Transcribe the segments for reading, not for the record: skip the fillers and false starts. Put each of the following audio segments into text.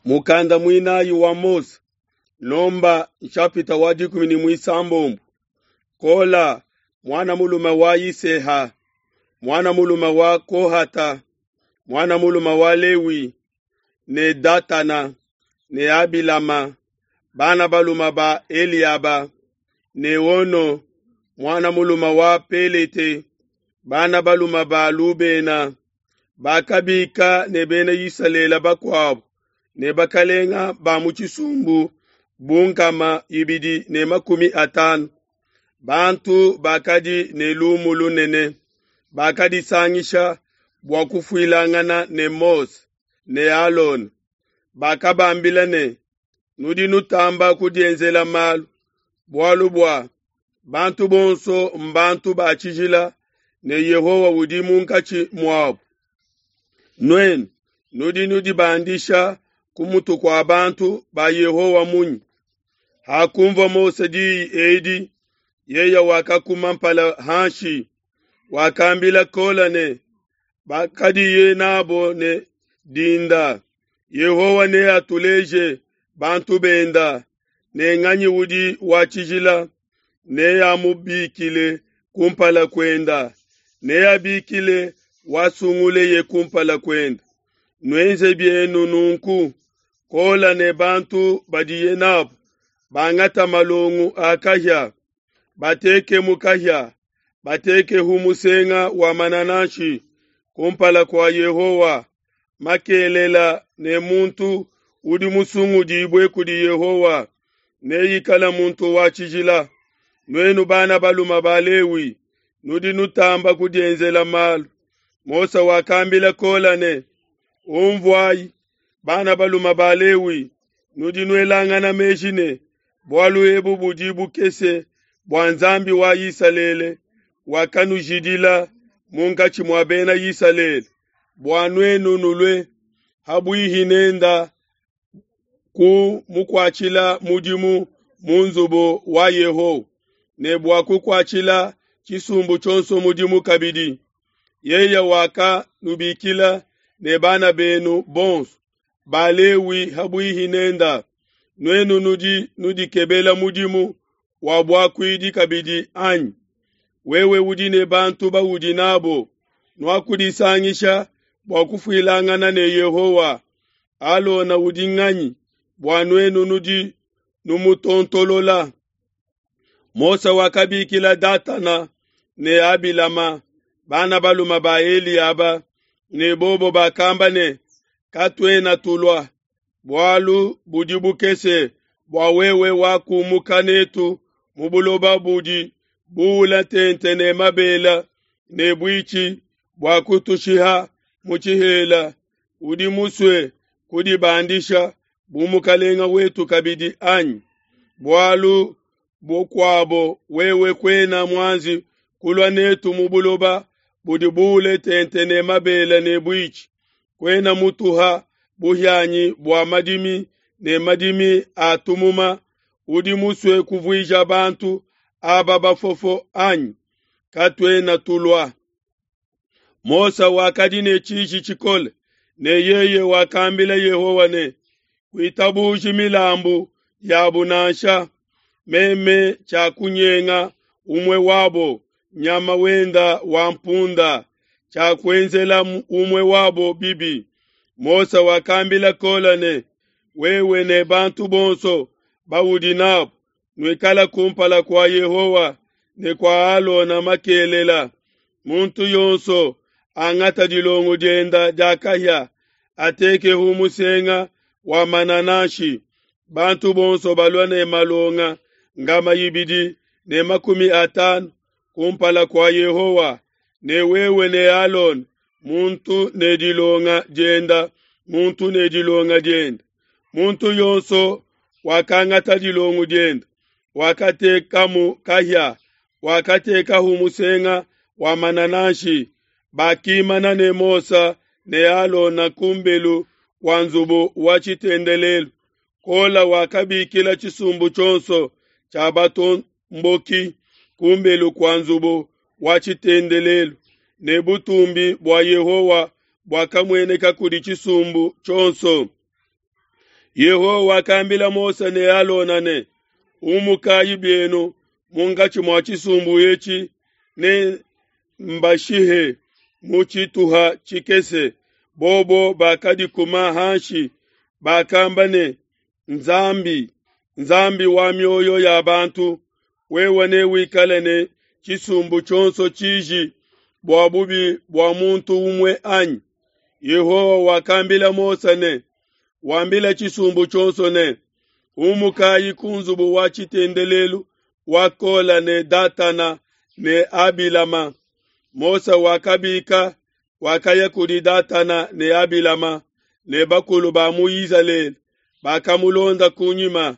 Mukanda muinayi wa Mose, Nomba nshapita wa 16. Kola muana mulume wa Yiseha, muana mulume wa Kohata, muana mulume wa Lewi, ne Datana ne Abilama, bana balume ba Eliaba, ne Ono muana mulume wa Pelete, bana balume ba Lubena, bakabika ne bena Isalele bakuabu ne bakalenga ba mu tshisumbu bu 250. Bantu bakadi ne lumu lunene bakadisangisha bua kufuilangana ne Mose ne Alona. Bakabambila ne, nudi nutamba kudienzela malu, bualu bua bantu bonso mbantu ba tshijila ne Yehowa udi munkatshi muabu. Nuenu nudi nudibandisha ku mutu kua bantu ba Yehowa munyi? Hakunvua Mose diyi edi, yeye wakakuma mpala hanshi, wakambila Kola ne bakadiye nabo ne dinda, Yehowa neatuleje bantu benda, ne nganyi udi wa tshijila, neamubikile kumpala kuenda, neabikile wasunguleye kumpala kuenda. Nuenze bienu nunku, Kola ne bantu badiye nabo bangata malongo a kahia, batekemu kahia, batekehu musenga wa manananshi kumpala kua Yehowa makelela ne muntu udi musungudibue kudi Yehowa neikale muntu wa tshijila. Nuenu bana balume ba Lewi, nudi nutamba kudienzela malu. Mose wakambila Kola ne, Unvuayi, bana balume ba Lewi, nudi nuelangana meji ne, bualu ebu budi bukese bua Nzambi wa Isalele wakanujidila munkatshi mua bena Isalele, bua nuenu nulue habuihi nenda ku mukuatshila mudimu mu nzubu wa Yehowa, ne bua kukuatshila tshisumbu tshionso mudimu kabidi. Yeye wakanubikila ne bana benu bonso ba Lewi habuihi nenda. Nuenu nudi nudikebela mudimu wa buakuidi kabidi anyi? Wewe udi ne bantu baudi nabo, nuakudisangisha bua kufuilangana ne Yehowa. Alona udi nganyi bua nuenu nudi numutontolola? Mose wakabikila Datana ne Abilama, bana balume ba Eliaba, ne bobo bakamba ne, katuena tulua, bualu budi bukese bua wewe wakumuka netu mu buloba budi buula tente ne mabela ne buitshi bua kutushiha mu tshihela. Udi musue kudibandisha bu mukalenga wetu kabidi anyi? Bualu bukuabo wewe kuena muanji kulua netu mu buloba budi buule tente ne mabele ne buitshi, kuena mutuha buhianyi bua madimi ne madimi a tumuma. Udi musue kuvuija bantu aba bafofo anyi? Katuena tulua. Mose wakadi ne tshiji tshikole, ne yeye wakambila Yehowa ne, kuitabuji milambu yabu nansha, meme tshiakunyenga umue wabo nyama wenda wa mpunda, tshiakuenzela umue wabo bibi. Mose wakambila Kola ne, wewe ne bantu bonso baudi nabo nuikala kumpala kua Yehowa ne kua Alona makelela. Muntu yonso angata dilongo dienda dia kahia, atekehu musenga wa manananshi. Bantu bonso balua ne malonga 250 kumpala kua Yehowa, ne wewe ne Alona, muntu ne dilonga dienda, muntu ne dilonga dienda. Muntu yonso wakangata dilongo dienda, wakatekamu kahia, wakatekahu musenga wa manananshi. Bakimana ne Mose ne Alona kumbelu kua nzubu wa tshitendelelu. Kola wakabikila tshisumbu tshionso tshia batomboki kumbelu kua nzubu wa tshitendelelu, ne butumbi bua Yehowa buakamueneka kudi tshisumbu tshionso. Yehowa wakambila Mose ne Alona ne, Umukayi bienu munkatshi mua tshisumbu etshi ne mbashihe mu tshituha tshikese. Bobo bakadikuma hanshi, bakamba ne, Nzambi, Nzambi wa mioyo ya bantu, wewe newikale ne tshisumbu tshionso tshiji bua bubi bua muntu umue anyi? Yehowa wakambila Mose ne, Wambila tshisumbu tshionso ne, Umukayi ku nzubu wa tshitendelelu wa Kola ne Datana ne Abilama. Mose wakabika, wakaya kudi Datana ne Abilama ne bakulu ba mu Izalele bakamulonda kunyima.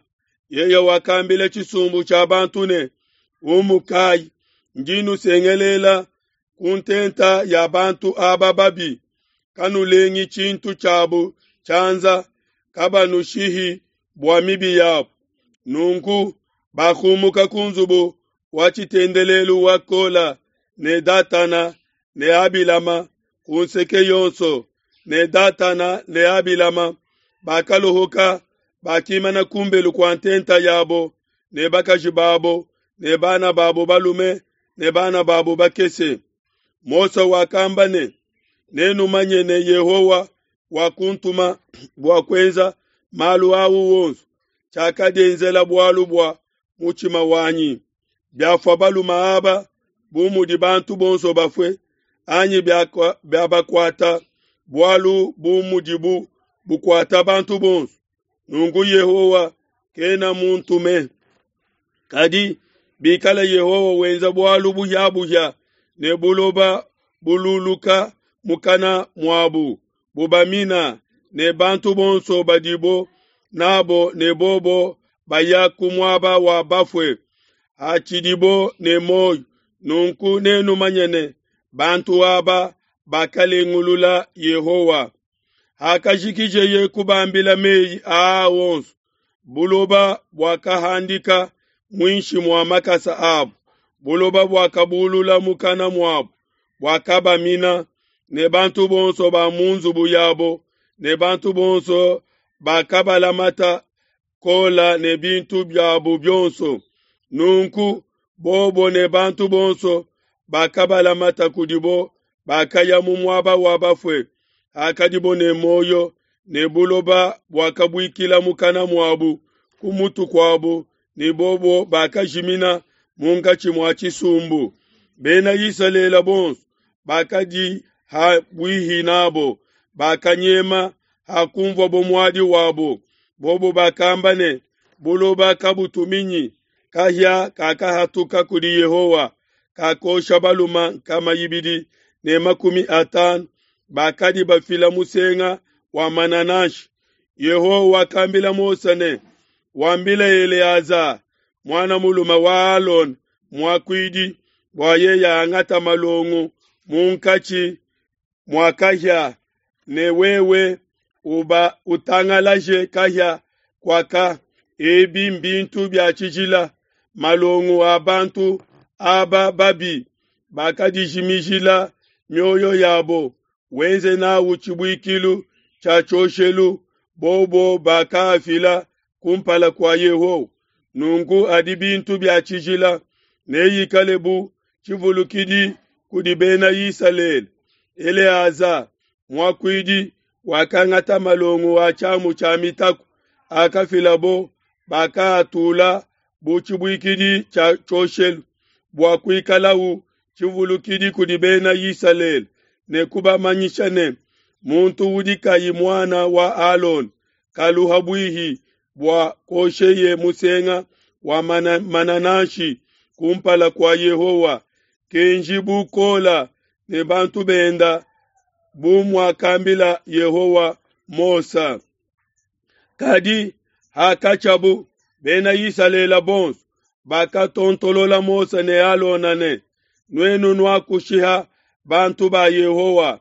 Yeye wakambila tshisumbu tshia bantu ne, Umukayi, ndi nusengelela ku ntenta ya bantu aba babi, kanulengi tshintu tshiabu tshianza, kabanushihi bua mibi yabu. Nunku bakumuka ku nzubu wa tshitendelelu wa Kola ne Datana ne Abilama ku nseke yonso, ne Datana ne Abilama bakalohoka, bakimana kumbelu kua ntenta yabo ne bakaji babo ne bana babo balume ne bana babo bakese. Mose wakamba ne, Nenumanye ne Yehowa wakuntuma bua kuenza malu au wonso, tshiakadienzela bualu bua mutshima wanyi. Biafua balume aba bu mudi bantu bonso bafue, anyi biabakuata bualu bu mudibu bukuata bantu bonso, nunku Yehowa kena muntume. Kadi bikala Yehowa wenza bualu buhia-buhia ne buloba bululuka mukana muabu, bubamina ne bantu bonso badibo nabo ne bobo baya ku muaba wa bafue, hatshidibo ne muoyo, nunku nenumanye ne, bantu aba bakalengulula Yehowa. Hakajikijeye kubambila meyi aa onso, buloba buakahandika muinshi mua makasa abo, buloba buakabulula mukana muabu, buakabamina, ne bantu bonso ba mu nzubu yabo ne bantu bonso bakabalamata Kola ne bintu biabo bionso. Nunku bobo ne bantu bonso bakabalamata kudibo bakaya mu muaba wa bafue, hakadibo ne muoyo, ne buloba buakabuikila mukana muabu ku mutu kuabu, ne bobo bakajimina munkatshi mua tshisumbu. Bena Isalele bonso bakadi ha buihi nabo bakanyema hakunvuabo muadi wabo. Bobo bakamba ne, Buloba kabutuminyi, kahia kakahatuka kudi Yehowa, kakosha balume 250 bakadi bafila musenga wa manananshi. Yehowa wakambila Mose ne, Wambile Eleaza muana mulume wa Alona muakuidi, bua yeye angata malongo munkatshi mua kahia, ne wewe uba utangalaje kahia kuaka. Ebi mbintu bia tshijila, malongo a bantu aba babi bakadijimijila mioyo yabo, wenze nawu tshibuikilu tshia tshioshelu, bobo bakaafila kumpala kua Yehowa. Nunku adi bintu bia tshijila, neikale bu tshivulukidi kudi bena Isalele. Eleaza muakuidi wakangata malongo a tshiamu tshia mitaku akafilabo, bakaatula bu tshibuikidi tshia tshioshelu, bua kuikalau tshivulukidi kudi bena Isalele, ne kubamanyisha ne, muntu udi kayi muana wa Alona kalu ha buihi bua kosheye musenga wa manananshi kumpala kua Yehowa, kenji bu Kola ne bantu benda, bu muakambila Yehowa Mose. Kadi hakatshiabu, bena Isalele bonso bakatontolola Mose ne Alona ne, Nuenu nuakushiha bantu ba Yehowa.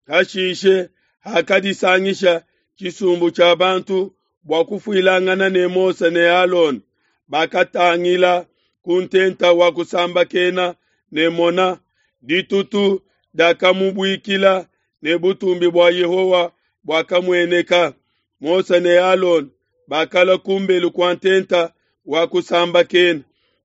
Hashishe hakadisangisha tshisumbu tshia bantu bua kufuilangana ne Mose ne Alona, bakatangila ku ntenta wa kusambakena ne mona, ditutu diakamubuikila ne butumbi bua Yehowa buakamueneka. Mose ne Alona bakalua ku mbelu kua ntenta wa kusambakena.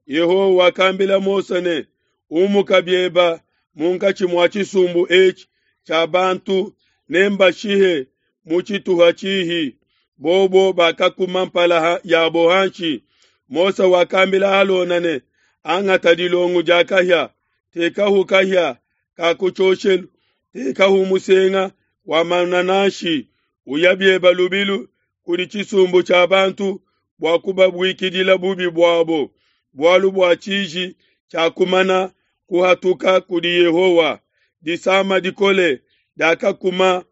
Yehowa wakambila Mose ne, Umuka bieba munkatshi mua tshisumbu etshi tshia bantu, nembashihe mu tshituha tshihi. Bobo bakakuma mpala yabo hanshi. Mose wakambila Alona ne, Angata dilongo dia kahia, tekahu kahia ka ku tshioshelu, tekahu musenga wa manananshi, uya bieba lubilu kudi tshisumbu tshia bantu bua kubabuikidila bubi buabo, bualu bua tshiji tshiakumana kuhatuka kudi Yehowa. Disama dikole diakakuma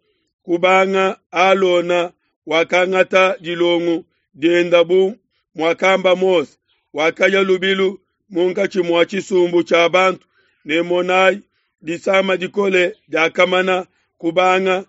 kubanga Alona wakangata dilongo dienda bu muakamba Mose, wakaya lubilu munkatshi mua tshisumbu tshia bantu, ne monai, disama dikole diakamana kubanga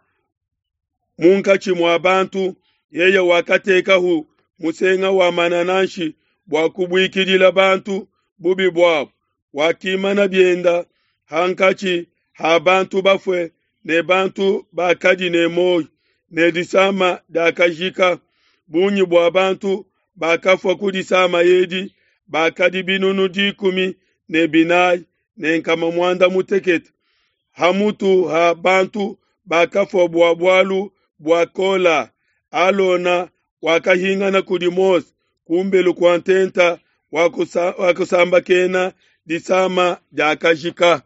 munkatshi mua bantu. Yeye wakatekahu musenga wa manananshi bua kubuikidila bantu bubi buabo, wakimana bienda hankatshi ha bantu bafue ne bantu bakadi ne muoyo, ne disama diakajika. Bungi bua bantu bakafua ku disama edi bakadi binunu 14 ne nkama 60, hamutu ha bantu bakafua bua bualu bua Kola. Alona wakahingana kudi Mose kumbelu kua ntenta wa kusambakena, disama diakajika.